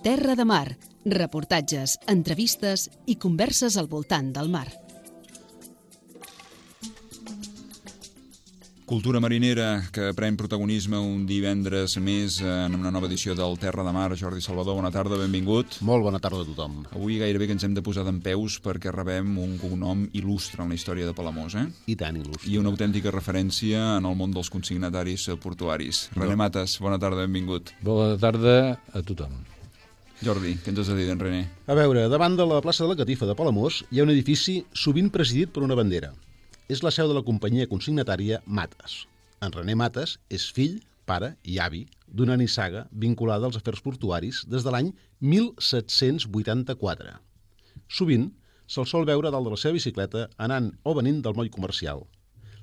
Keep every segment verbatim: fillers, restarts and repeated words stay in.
Terra de Mar, reportatges, entrevistes i converses al voltant del mar. Cultura marinera que pren protagonisme un divendres més en una nova edició del Terra de Mar. Jordi Salvador, bona tarda, benvingut. Molt bona tarda a tothom. Avui gairebé que ens hem de posar dempeus perquè rebem un cognom il·lustre en la història de Palamós, eh? I tant il·lustre. I una autèntica referència en el món dels consignataris portuaris. René Mates, bona tarda, benvingut. Bona tarda a tothom. Jordi, què ens has de dir d'en René? A veure, davant de la plaça de la Catifa de Palamós hi ha un edifici sovint presidit per una bandera. És la seu de la companyia consignatària Mates. En René Mates és fill, pare i avi d'una nissaga vinculada als afers portuaris des de l'any mil set-cents vuitanta-quatre. Sovint se'l sol veure dalt de la seva bicicleta anant o venint del moll comercial.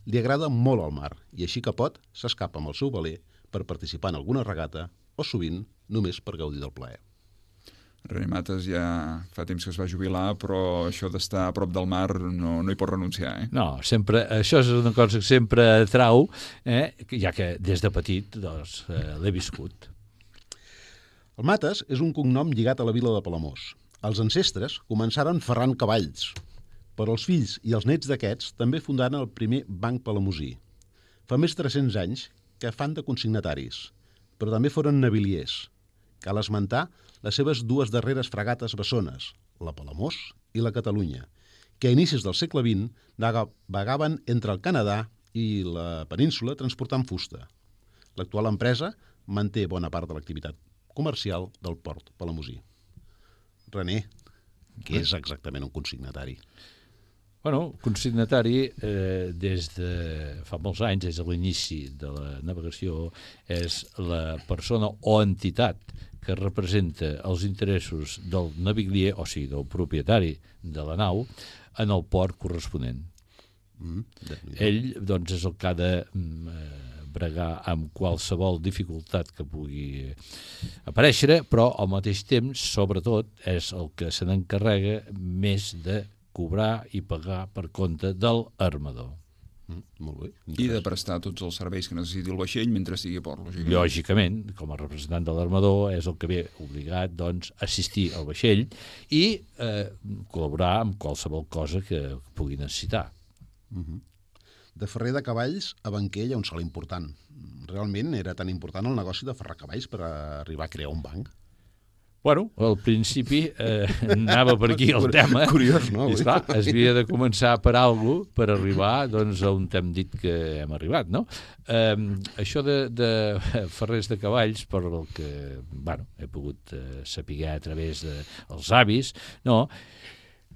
Li agrada molt el mar i així que pot s'escapa amb el seu veler per participar en alguna regata o sovint només per gaudir del plaer. René Mates ja fa temps que es va jubilar, però això d'estar a prop del mar no, no hi pot renunciar, eh? No, sempre, això és una cosa que sempre atrau, eh, ja que des de petit doncs, eh, l'he viscut. El Mates és un cognom lligat a la vila de Palamós. Els ancestres començaren ferrant cavalls, però els fills i els nets d'aquests també fundaren el primer banc palamosí. Fa més de tres-cents anys que fan de consignataris, però també foren naviliers. Cal esmentar les seves dues darreres fragates bessones, la Palamós i la Catalunya, que a inicis del segle vint vagaven entre el Canadà i la península transportant fusta. L'actual empresa manté bona part de l'activitat comercial del port palamosí. René, què és exactament un consignatari? Bueno, consignatari, eh, des de fa molts anys, des de l'inici de la navegació, és la persona o entitat que representa els interessos del navilier, o sigui, del propietari de la nau, en el port corresponent. Mm, Ell, doncs, és el que ha de eh, bregar amb qualsevol dificultat que pugui aparèixer, però al mateix temps, sobretot, és el que se n'encarrega més de cobrar i pagar per compte del armador. Mm, molt bé. I de prestar tots els serveis que necessiti el vaixell mentre estigui a port, lògicament. Lògicament, com a representant de l'armador, és el que ve obligat, doncs, a assistir al vaixell i eh, col·laborar amb qualsevol cosa que pugui necessitar. Mm-hmm. De ferrer de cavalls a banquer hi ha un salt important. Realment era tan important el negoci de ferrar cavalls per arribar a crear un banc? Bueno, al principi eh, anava per aquí el tema. Curiós, no? I esclar, es havia de començar per alguna cosa per arribar doncs, a on hem dit que hem arribat, no? Eh, això de, de ferrers de cavalls, per el que bueno, he pogut eh, saber a través dels avis, no?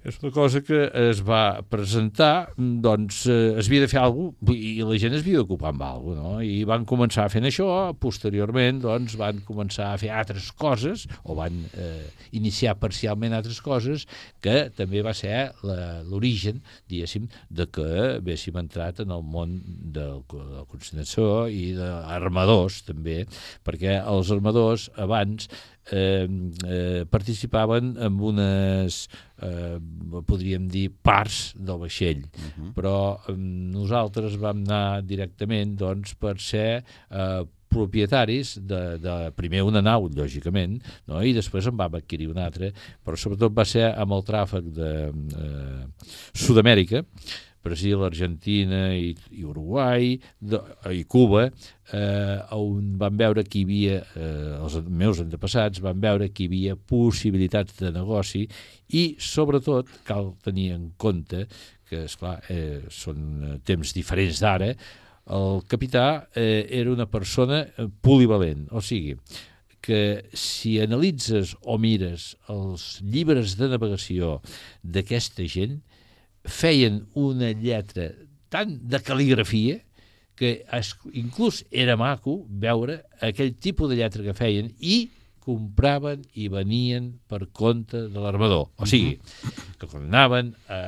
És una cosa que es va presentar, doncs eh, es havia de fer alguna cosa i la gent es havia d'ocupar amb alguna cosa, no? I van començar fent això, posteriorment doncs van començar a fer altres coses, o van eh, iniciar parcialment altres coses, que també va ser l'origen, diguéssim, de que haguéssim entrat en el món de la consignació i d'armadors, també, perquè els armadors abans Eh, eh, participaven en unes, eh, podríem dir, parts del vaixell, uh-huh. però eh, nosaltres vam anar directament doncs, per ser eh, propietaris de, de primer una nau, lògicament, no? I després en vam adquirir una altra, però sobretot va ser amb el tràfic de eh, Sud-amèrica, Brasil, Argentina i, i Uruguai de, i Cuba, eh, on van veure que hi havia, eh, els meus antepassats van veure que hi havia possibilitats de negoci i, sobretot, cal tenir en compte que, esclar, eh, són temps diferents d'ara, el capità eh, era una persona polivalent, o sigui, que si analitzes o mires els llibres de navegació d'aquesta gent, feien una lletra tan de cal·ligrafia que es, inclús era maco veure aquell tipus de lletra que feien i compraven i venien per compte de l'armador. O sigui, que quan anaven a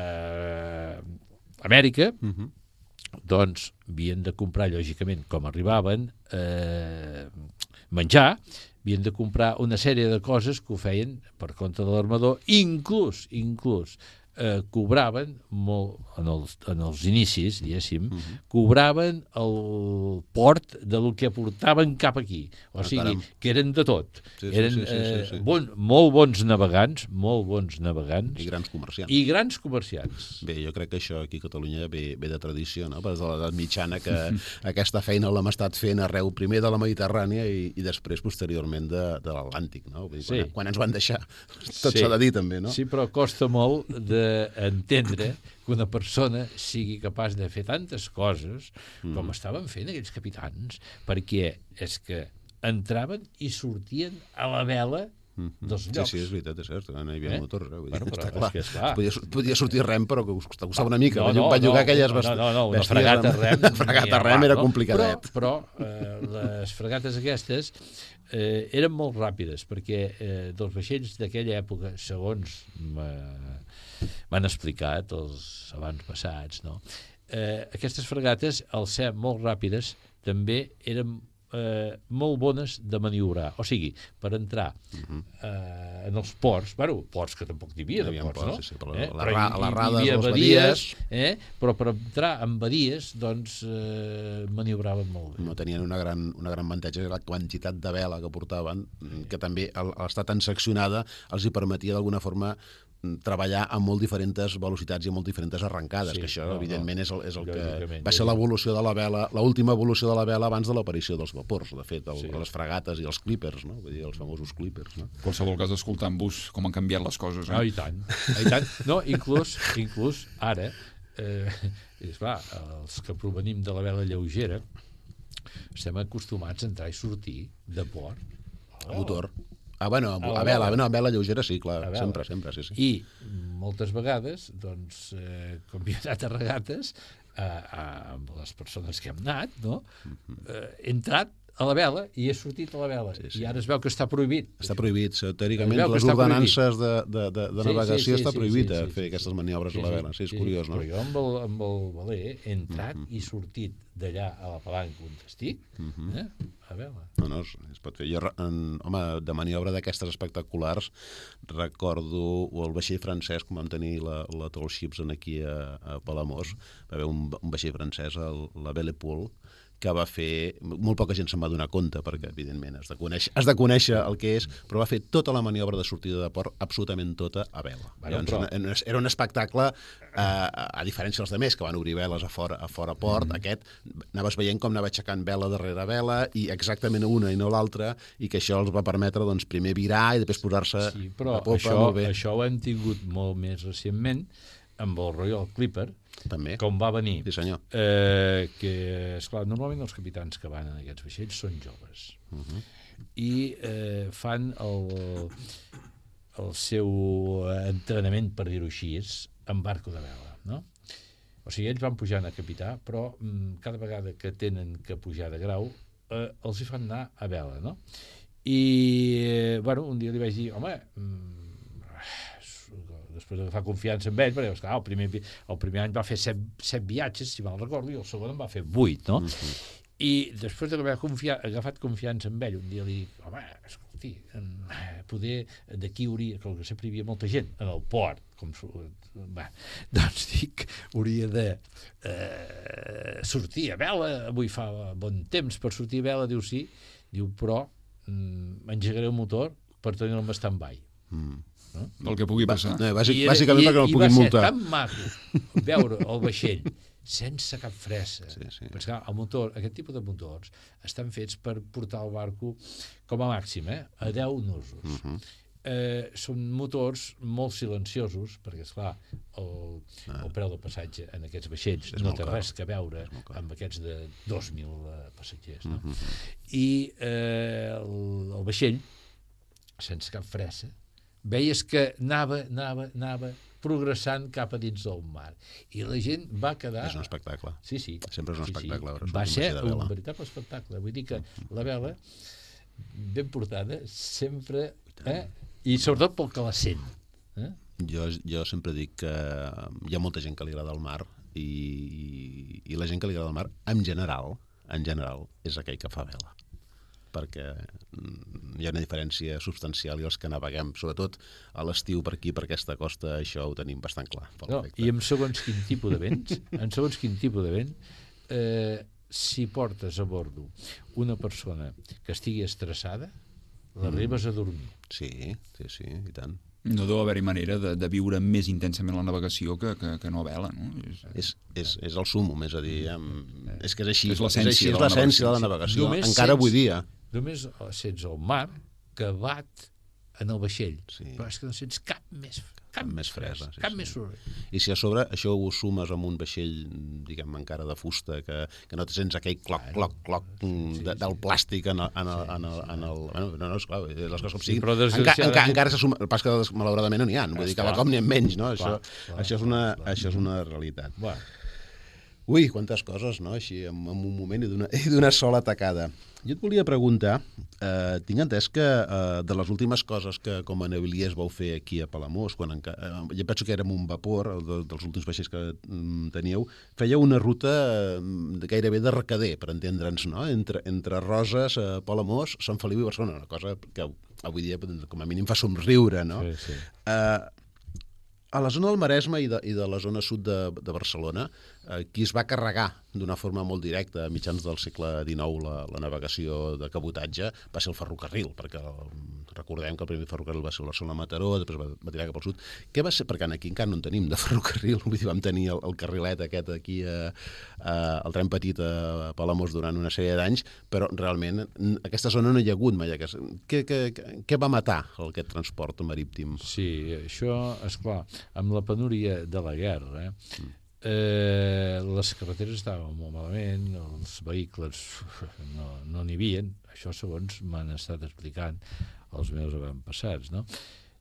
Amèrica, uh-huh. doncs havien de comprar, lògicament, com arribaven, eh, menjar, havien de comprar una sèrie de coses que ho feien per compte de l'armador, inclús, inclús, eh, cobraven molt, en els, en els inicis, diguéssim, uh -huh. cobraven el port del que portaven cap aquí. O sigui, caram. que eren de tot. Sí, sí, eren sí, sí, sí, eh, sí. bon, molt bons navegants, molt bons navegants. I grans comerciants. I grans comerciants. Bé, jo crec que això aquí a Catalunya ve, ve de tradició, no? Des de l'edat mitjana que aquesta feina l'hem estat fent arreu primer de la Mediterrània i, i després posteriorment de, de l'Atlàntic, no? Vull dir, quan, Sí. quan ens van deixar, tot Sí. s'ha de dir també, no? Sí, però costa molt d'entendre que una persona sigui capaç de fer tantes coses com estaven fent aquells capitans, perquè és que entraven i sortien a la vela dels Sí, llocs. sí, és veritat, és cert, no hi havia Eh? motors, eh? Vull dir, Bueno, però està és clar. que és clar. Podia, podia sortir rem, però que costava, costava una mica. No, No, no, van llogar no, aquelles no, no, no, una bèsties fregata amb- rem. Una fregata rem era complicadet. Però, però eh, les fregates aquestes eh, eren molt ràpides, perquè eh, dels vaixells d'aquella època, segons m'han explicat els abans passats, no? eh, aquestes fregates, al ser molt ràpides, també eren eh, molt bones de maniobrar. O sigui, per entrar eh, en els ports, bueno, ports que tampoc n'hi havia, Hi de havia ports, ports, no? sí, sí, però eh? la Però ra- hi- les hi rades, havia les badies, badies. eh? Però per entrar en badies, doncs, eh, maniobraven molt bé. No tenien una gran, una gran avantatge, la quantitat de vela que portaven, que també al, al estar tan seccionada els hi permetia d'alguna forma treballar a molt diferents velocitats i a molt diferents arrencades, Sí, que això, no, evidentment, no. és el, és el que Lògicament, va ser lògicament. l'evolució de la vela, l'última evolució de la vela abans de l'aparició dels vapors, de fet, el, Sí. les fregates i els clippers, no? Vull dir, els famosos clippers, no? En qualsevol cas, escoltant-vos com han canviat les coses. No, Eh? i tant, i tant. No, inclús, inclús ara, eh, és clar, els que provenim de la vela lleugera estem acostumats a entrar i sortir de port. A motor. Ah, bueno, a, A la a vela, vela. no, a vela lleugera sí, clar, A vela. sempre, sempre, sí, sí. I moltes vegades, doncs, eh, com hi he anat a regates, eh, eh, amb les persones que hem anat, no? eh, he entrat a la vela i he sortit a la vela. Sí, sí. I ara es veu que està prohibit. Està prohibit, teòricament, Es veu que les està ordenances de, de, de, de Sí, navegació sí, sí, està sí, prohibit sí, a sí, fer sí, aquestes sí. maniobres a la vela. Sí, és curiós, no? Però jo amb el, amb el veler he entrat i sortit d'allà a la palanca on estic, eh? a vela. No, no, es, es pot fer. Jo, en, home, de maniobra d'aquestes espectaculars, recordo el vaixell francès, com vam tenir la, la Tall Ships en aquí a, a Palamós, va haver un, un vaixell francès, el, la Belle Poule, que va fer, molt poca gent se'n va donar compte, perquè, evidentment, has de, conèixer, has de conèixer el que és, però va fer tota la maniobra de sortida de port, absolutament tota, a vela. Bueno, Llavors, però- una- era un espectacle, eh, a diferència dels altres, que van obrir veles a fora, a fora port, mm. aquest, anaves veient com anava aixecant vela darrere vela, i exactament una i no l'altra, i que això els va permetre, doncs, primer virar i després posar-se Sí, però a popa, això, molt bé. això ho hem tingut molt més recentment amb el Royal Clipper, També. com va venir. Sí, senyor. Eh, que, esclar, normalment els capitans que van en aquests vaixells són joves. Uh -huh. I eh, fan el, el seu entrenament, per dir-ho així, en barco de vela, no? O sigui, ells van pujant a capità, però mm, cada vegada que tenen que pujar de grau, eh, els hi fan anar a vela, no? I, eh, bueno, un dia li vaig dir, home, mm, després d'agafar confiança en ell, perquè esclar, el, primer, el primer any va fer set, set viatges, si mal recordo, i el segon en va fer vuit, no? Uh-huh. I després d'haver confia, agafat confiança en ell, un dia li dic, home, escolti, poder d'aquí hauria, que sempre hi havia molta gent en el port, com va, doncs dic, hauria de eh, sortir a vela, avui fa bon temps per sortir a vela, diu sí, diu, però mm, engegaré el motor per tenir-lo en stand-by. Mm. No? Del que pugui passar. No, bàsic, I, bàsicament i, perquè no el i puguin va multar. ser tan maco veure el vaixell sense cap fressa. Sí, sí. Perquè, clar, el motor, aquest tipus de motors estan fets per portar el barco com a màxim, eh, a deu nusos. Uh -huh. eh, són motors molt silenciosos, perquè, esclar, el, ah. el preu del passatge en aquests vaixells És no molt té car. res que veure amb aquests de dos mil eh, passatgers. No? Uh -huh. I eh, el, el vaixell, sense cap fressa, veies que anava, anava, anava progressant cap a dins del mar. I la gent va quedar... És un espectacle. Sí, sí. Sempre és un sí, espectacle. Sí. veure, Va sortir ser vaixell de vela. un veritable espectacle. Vull dir que la vela, ben portada, sempre... Eh? I sobretot pel que la sent. Eh? Jo, jo sempre dic que hi ha molta gent que li agrada el mar i, i la gent que li agrada el mar, en general, en general, és aquell que fa vela. Perquè hi ha una diferència substancial i els que naveguem, sobretot a l'estiu per aquí, per aquesta costa, això ho tenim bastant clar. No, I en segons quin tipus de vents, en segons quin tipus de vent, eh, si portes a bordo una persona que estigui estressada, l'arribes a dormir. Sí, sí, sí, i tant. No deu haver-hi manera de, de viure més intensament la navegació que, que, que no a vela, no? És, és, és, és el sumum, és a dir, amb... és que és així, és l'essència és l'essència de la navegació, Només encara sents, avui dia. Només sents el mar que bat en el vaixell, Sí. però és que no sents cap més cap, Cap més fresa, sí, cap sí. més soroll. I si a sobre això ho sumes amb un vaixell, diguem, encara de fusta, que, que no te sents aquell cloc, cloc, cloc de, del plàstic en el... En el, en el, en el bueno, no, no, esclar, les coses com Sí, siguin. però Enca, desgraciadament- enca, encara se suma, pas que malauradament no n'hi ha, vull dir que Esclar. la cop n'hi ha menys, no? Això, Clar, clar, això, és una, clar. això és una realitat. Bueno, Ui, quantes coses, no?, així, en, en un moment i d'una i d'una sola tacada. Jo et volia preguntar, eh, tinc entès que eh, de les últimes coses que com a naviliers vau fer aquí a Palamós, quan enca... eh, jo penso que érem un vapor, el de, dels últims vaixells que mm, teníeu, fèieu una ruta eh, gairebé de recader, per entendre'ns, no?, entre, entre Roses, eh, Palamós, Sant Feliu i Barcelona, una cosa que avui dia com a mínim fa somriure, no? sí, sí. Eh, a la zona del Maresme i de, i de la zona sud de, de Barcelona, eh, qui es va carregar d'una forma molt directa a mitjans del segle dinou la, la navegació de cabotatge va ser el ferrocarril, perquè el, recordem que el primer ferrocarril va ser el Barcelona-Mataró, després va, va tirar cap al sud. Què va ser? Perquè aquí encara no en tenim de ferrocarril, vull dir, vam tenir el, el carrilet aquest aquí, eh, eh, el tren petit a Palamós durant una sèrie d'anys, però realment en aquesta zona no hi ha hagut mai. Aquest... Què, què, què va matar aquest transport marítim? Sí, això, esclar, amb la penúria de la guerra, eh, eh, les carreteres estaven molt malament, els vehicles no, no n'hi havien, això segons m'han estat explicant els meus avantpassats, no?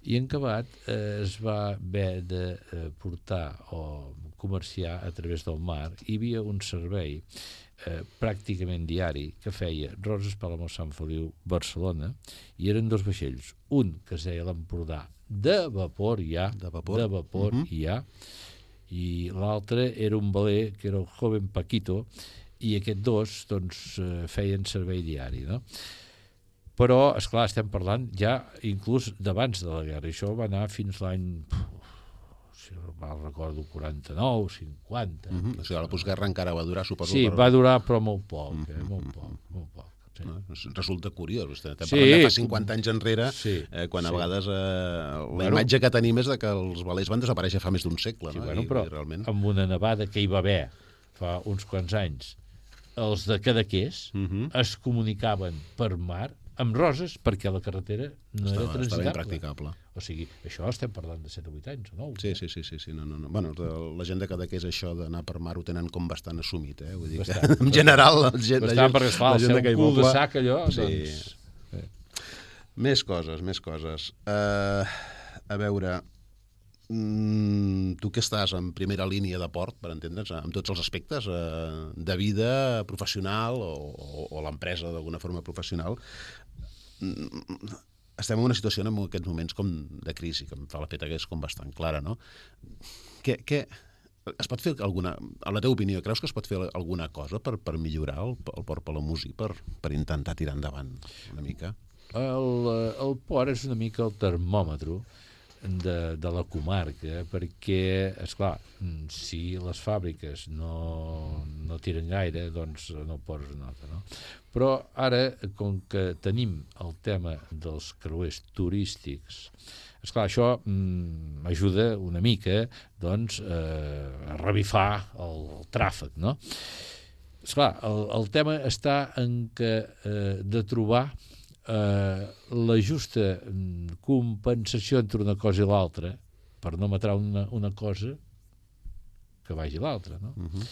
I en acabat eh, es va haver de eh, portar o comerciar a través del mar. Hi havia un servei eh, pràcticament diari que feia Roses, Palamós, Sant Feliu, Barcelona, i eren dos vaixells, un que es deia l'Empordà de vapor ja, De vapor. de vapor Mhm. ja, i l'altre era un veler que era el Joven Paquito, i aquests dos doncs, eh, feien servei diari, no? Però, esclar, estem parlant ja inclús d'abans de la guerra, i això va anar fins l'any, si no mal recordo, quaranta-nou, cinquanta. Mm -hmm. O sigui, la postguerra encara va durar, suposo. Sí, per... va durar però molt poc, eh? molt poc, molt poc. Sí. No? Resulta curiós. Estem Sí. parlant de fa cinquanta anys enrere, Sí, eh, quan a sí. vegades eh, la Bueno. imatge que tenim és de que els velers van desaparèixer fa més d'un segle. Sí, no? bueno, I, però i realment... amb una nevada que hi va haver fa uns quants anys, els de Cadaqués Mm -hmm. es comunicaven per mar amb Roses perquè la carretera no era Estava, estava transitable. impracticable. O sigui, això estem parlant de set o vuit anys, o nou? Sí, sí, sí, sí, sí. No, no, no. Bueno, de, la gent de Cadaqués això d'anar per mar ho tenen com bastant assumit, eh? Vull dir que, Bastant, en general, la gent, la Bastant, gent, perquè, esclar, la al gent ser d'aquell un cul de poble- sac, allò, Sí. doncs... Més coses, més coses. Uh, a veure, mm, tu que estàs en primera línia de port, per entendre'ns, amb tots els aspectes uh, de vida professional o, o, o l'empresa d'alguna forma professional, mm, estem en una situació en aquests moments com de crisi, que em fa la feta que és com bastant clara, no? Què, què, es pot fer alguna... A la teva opinió, creus que es pot fer alguna cosa per, per millorar el, el port palamosí, per, per intentar tirar endavant una mica? El, el port és una mica el termòmetre de, de la comarca, perquè, esclar, si les fàbriques no, no tiren gaire, doncs no poses nota, no? Però ara, com que tenim el tema dels creuers turístics, esclar, això mm, ajuda una mica, doncs, eh, a revifar el, el tràfic, no? Esclar, el, el tema està en que eh, de trobar eh, la justa compensació entre una cosa i l'altra, per no matar una, una cosa que vagi l'altra, no? Uh -huh.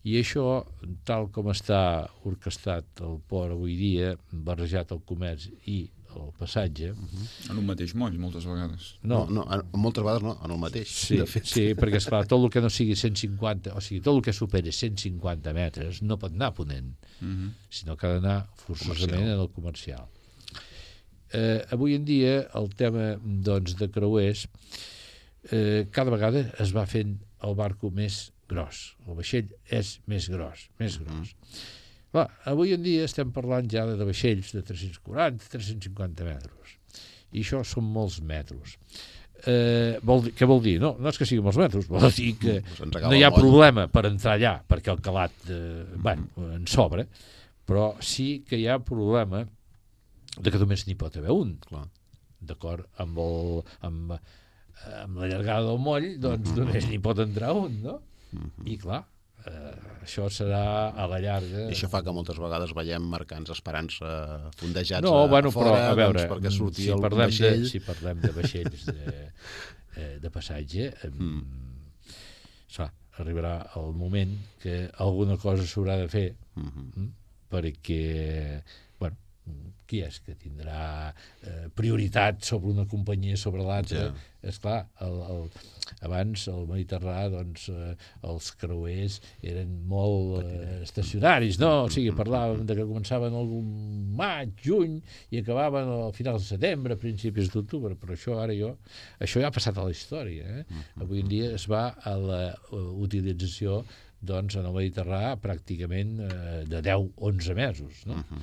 I això, tal com està orquestat el port avui dia, barrejat el comerç i el passatge... En un mateix moll, moltes vegades. No, no, no, moltes vegades no, en el mateix, Sí, de fet. sí, perquè, esclar, tot el que no sigui cent cinquanta, o sigui, tot el que superi cent cinquanta metres no pot anar a ponent, Uh -huh. sinó que ha d'anar forçosament Comercial. en el comercial. Eh, avui en dia, el tema doncs, de creuers, eh, cada vegada es va fent el barco més gros. El vaixell és més gros, més gros. Clar, avui en dia estem parlant ja de vaixells de tres-cents quaranta a tres-cents cinquanta metres. I això són molts metres. Eh, vol dir, què vol dir? No, no és que siguin molts metres, vol dir que no hi ha problema per entrar allà, perquè el calat eh, bueno, en sobra, però sí que hi ha problema de que només n'hi pot haver un. Clar. D'acord? Amb, el, amb, amb la llargada del moll, doncs només n'hi pot entrar un, no? I clar, eh, això serà a la llarga... I això fa que moltes vegades veiem mercants esperant-se fondejats no, bueno, a fora, però, a veure, doncs, perquè surti si el vaixell... De, si parlem de vaixells de, de passatge, mm. clar, arribarà el moment que alguna cosa s'haurà de fer, mm-hmm. perquè, bueno, qui és que tindrà eh, prioritat sobre una companyia sobre l'altra? Yeah. Esclar, el, el, abans al Mediterrani doncs, eh, els creuers eren molt eh, estacionaris, no? O sigui, parlàvem de que començaven el maig, juny i acabaven al final de setembre, a principis d'octubre, però això ara jo, això ja ha passat a la història. Eh? Avui en dia es va a la utilització doncs en el Mediterrani pràcticament eh, de deu a onze mesos, no? Uh-huh.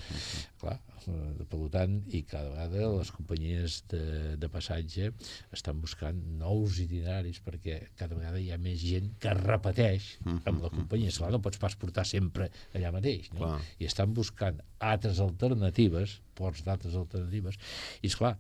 Clar, eh, per tant, i cada vegada les companyies de, de passatge estan buscant nous itineraris perquè cada vegada hi ha més gent que repeteix amb la companyia. Esclar, no pots pas portar sempre allà mateix, no? Clar. I estan buscant altres alternatives, ports d'altres alternatives, i esclar,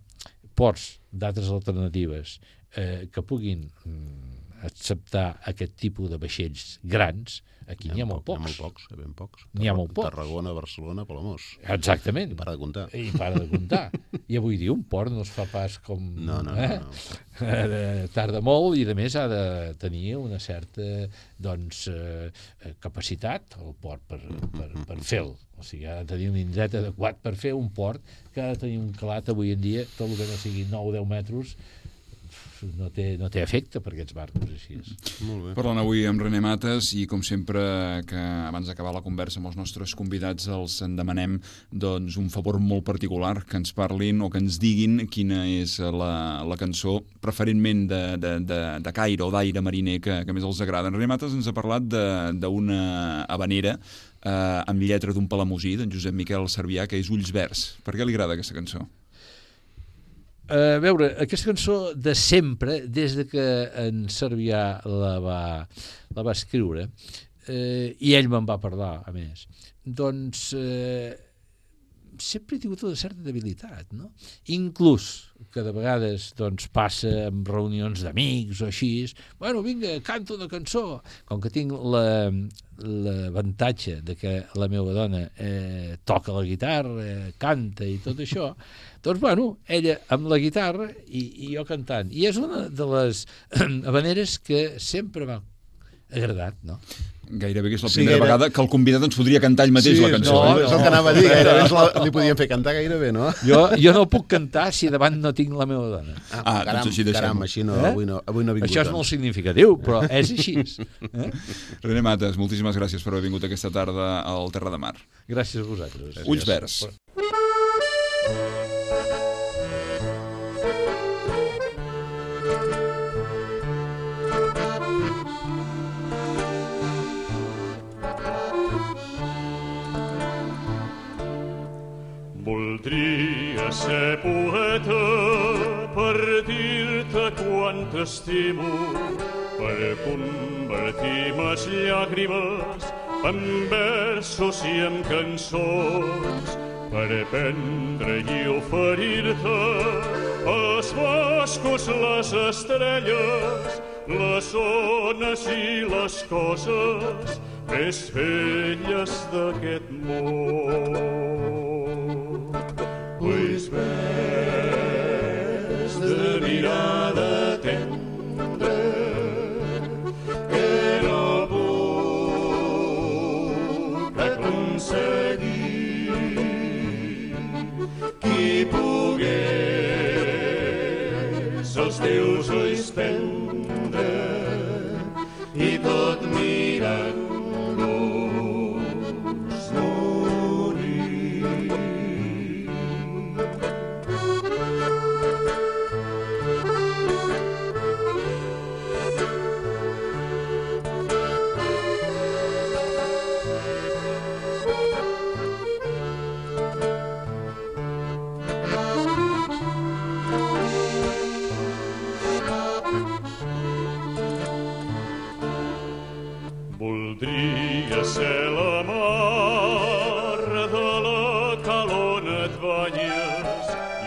ports d'altres alternatives eh, que puguin mm, acceptar aquest tipus de vaixells grans, aquí n'hi ha molt pocs. N'hi ha molt pocs, ben pocs. N'hi ha molt pocs. Tarragona, Barcelona, Palamós. Exactament. I para de comptar. I para de comptar. I avui dia un port no es fa pas com... No, no, eh? no. no. Tarda molt i, a més, ha de tenir una certa doncs, eh, capacitat el port per, per, per fer-lo. O sigui, ha de tenir un indret adequat per fer un port que ha de tenir un calat avui en dia, tot el que no sigui nou o deu metres, no té, no té efecte per aquests barcos així. Molt bé. Parlant avui amb René Mates i com sempre que abans d'acabar la conversa amb els nostres convidats els en demanem doncs, un favor molt particular, que ens parlin o que ens diguin quina és la, la cançó preferentment de, de, de, de caire o d'aire mariner que, que més els agrada. En René Mates ens ha parlat d'una habanera eh, amb lletra d'un palamosí, d'en Josep Miquel Servià, que és Ulls Verds. Per què li agrada aquesta cançó? A veure, aquesta cançó de sempre, des de que en Servià la va, la va escriure, eh, i ell me'n va parlar, a més, doncs eh, sempre he tingut una certa debilitat, no? Inclús que de vegades doncs, passa en reunions d'amics o així, bueno, vinga, canto una cançó. Com que tinc l'avantatge de que la meva dona eh, toca la guitarra, eh, canta i tot això, doncs, bueno, ella amb la guitarra i, i jo cantant. I és una de les habaneres que sempre m'ha agradat, no? Gairebé que és la primera sí, vegada que el convidat ens podria cantar ell mateix sí, la cançó. No, no, és el que anava a dir, gairebé la, li podien fer cantar gairebé, no? Jo, jo no puc cantar si davant no tinc la meva dona. Ah, ah caram, doncs així caram, així no, eh? avui, no, avui no ha vingut. Això és molt significatiu, però és així. Eh? René Mates, moltíssimes gràcies per haver vingut aquesta tarda al Terra de Mar. Gràcies a vosaltres. Ulls Verds. Voldria ser poeta per dir-te quant t'estimo, per convertir mes llàgrimes en versos i en cançons, per prendre i oferir-te els boscos, les estrelles, les ones i les coses més belles d'aquest món. Ulls verds de mirada tendra que no puc aconseguir. Qui pogués els teus ulls prendre i tot mirant-los morir.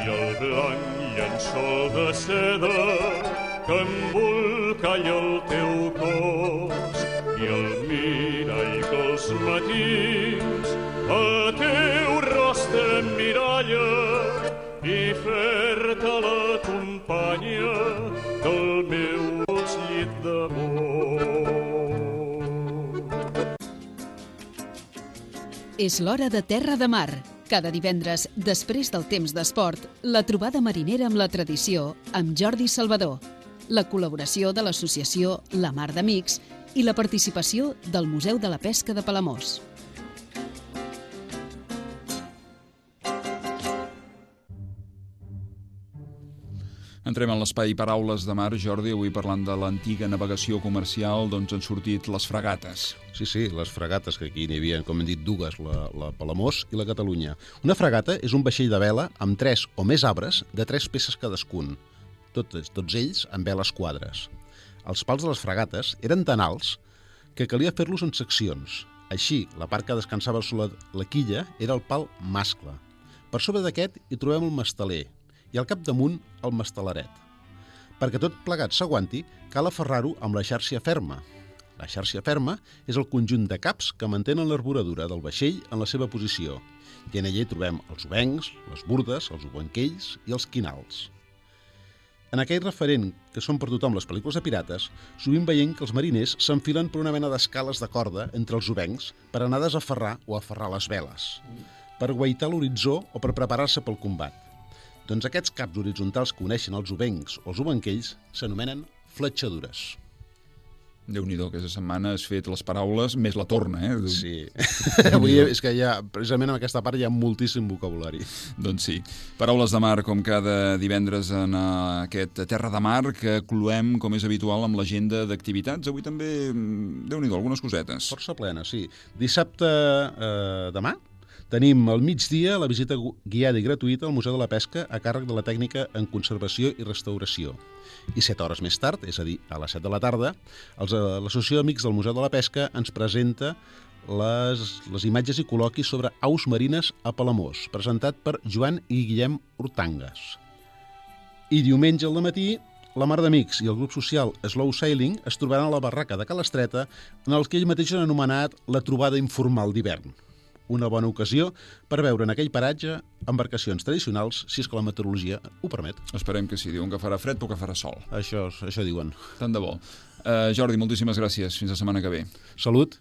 i el blanc llençol de seda que embolcalla el teu cos i el mirall que els matins a teu rostre emmiralla i fer-te l'acompanya del meu dolç llit d'amor. És l'hora de Terra de Mar. Cada divendres, després del temps d'esport, la trobada marinera amb la tradició amb Jordi Salvador, la col·laboració de l'associació La Mar d'Amics i la participació del Museu de la Pesca de Palamós. Entrem en l'espai Paraules de Mar, Jordi, avui parlant de l'antiga navegació comercial, doncs han sortit les fregates. Sí, sí, les fregates, que aquí n'hi havia, com hem dit, dues, la, la Palamós i la Catalunya. Una fregata és un vaixell de vela amb tres o més arbres de tres peces cadascun, tots, tots ells amb veles quadres. Els pals de les fregates eren tan alts que calia fer-los en seccions. Així, la part que descansava sobre la quilla era el pal mascle. Per sobre d'aquest hi trobem el masteler, i al capdamunt el mastelaret. Perquè tot plegat s'aguanti, cal aferrar-ho amb la xarxa ferma. La xarxa ferma és el conjunt de caps que mantenen l'arboradura del vaixell en la seva posició, i en ella hi trobem els obencs, les burdes, els obenquells i els quinals. En aquell referent que són per tothom les pel·lícules de pirates, sovint veiem que els mariners s'enfilen per una mena d'escales de corda entre els obencs per anar a desaferrar o aferrar les veles, per guaitar l'horitzó o per preparar-se pel combat. Doncs aquests caps horitzontals que uneixen els obencs o els obenquells s'anomenen fletxadures. Déu-n'hi-do, aquesta setmana has fet les paraules més la torna, eh? Sí. Avui és que ja, precisament en aquesta part hi ha moltíssim vocabulari. Doncs sí. Paraules de mar, com cada divendres en aquest Terra de Mar, que cloem, com és habitual, amb l'agenda d'activitats. Avui també, Déu-n'hi-do, algunes cosetes. Força plena, sí. Dissabte eh, demà tenim al migdia la visita guiada i gratuïta al Museu de la Pesca a càrrec de la tècnica en conservació i restauració. I set hores més tard, és a dir, a les set de la tarda, l'Associació d'Amics del Museu de la Pesca ens presenta les, les imatges i col·loquis sobre aus marines a Palamós, presentat per Joan i Guillem Hortangas. I diumenge al matí, la Mar d'Amics i el grup social Slow Sailing es trobaran a la barraca de Calestreta, en el que ell mateix han anomenat la trobada informal d'hivern. Una bona ocasió per veure en aquell paratge embarcacions tradicionals, si és que la meteorologia ho permet. Esperem que sí. Diuen que farà fred però que farà sol. Això, això diuen. Tant de bo. Uh, Jordi, moltíssimes gràcies. Fins la setmana que ve. Salut.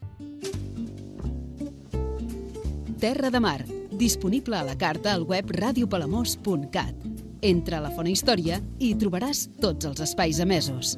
Terra de Mar, disponible a la carta al web radio palamós punt cat. Entra a la Fona Història i hi trobaràs tots els espais emesos.